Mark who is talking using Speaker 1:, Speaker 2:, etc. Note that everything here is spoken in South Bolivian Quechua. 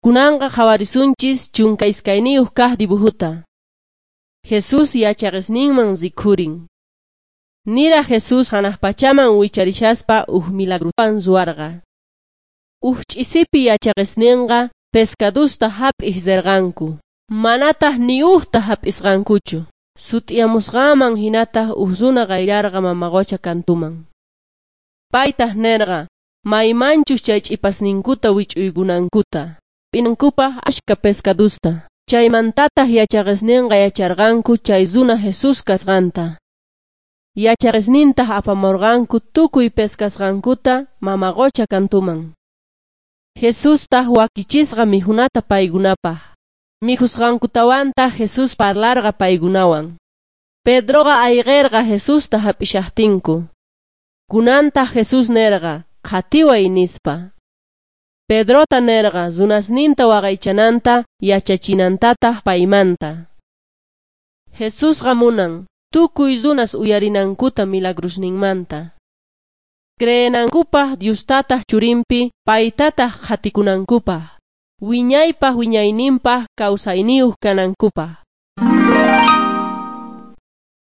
Speaker 1: Kunanqa qhawarisunchis 12 kaq dibujuta. Jesús yachaqesninman rikhurin. Nira Jesús hanaq pachaman wicharishaspa uj milagruwan ruwarqa. Uj ch'isipi yachaqesninqa pescadusta hap'iq rirqanku. Manataq ni ujta hap'isqankuchu. Sut'iyamusqanman hinataq uj runa qayllarqa mama qucha kantuman. Paytaq nerqa maymanchus chay ch'ipasninkuta wich'uykunankuta. P'inankupaq ashka pescadusta. Chaymantataq yachaqesninqa yacharqanku chay runa Jesús kasqanta. Yachaqesnintaq apamurqanku tukuy pescasqankuta mama qucha kantuman. Jesustaq wakichisqa mikhunata paykunapaq. Mikhusqankutawantaq Jesús parlarqa paykunawan. Pedroqa ayqirqa Jesusta hap'ishaqtinku. Kunantaq Jesús nerqa qhatiway nispa. Pedrota nerqa runasninta waqaychananta yachachinantataq paymanta. Jesusqa munan tukuy runas uyarinankuta milagrusninmanta. Creenankupaq Diostataq churinpi paytataq qhatikunankupaq. Wiñaypaq wiñayninpaq kawsayniyuq kanankupaq.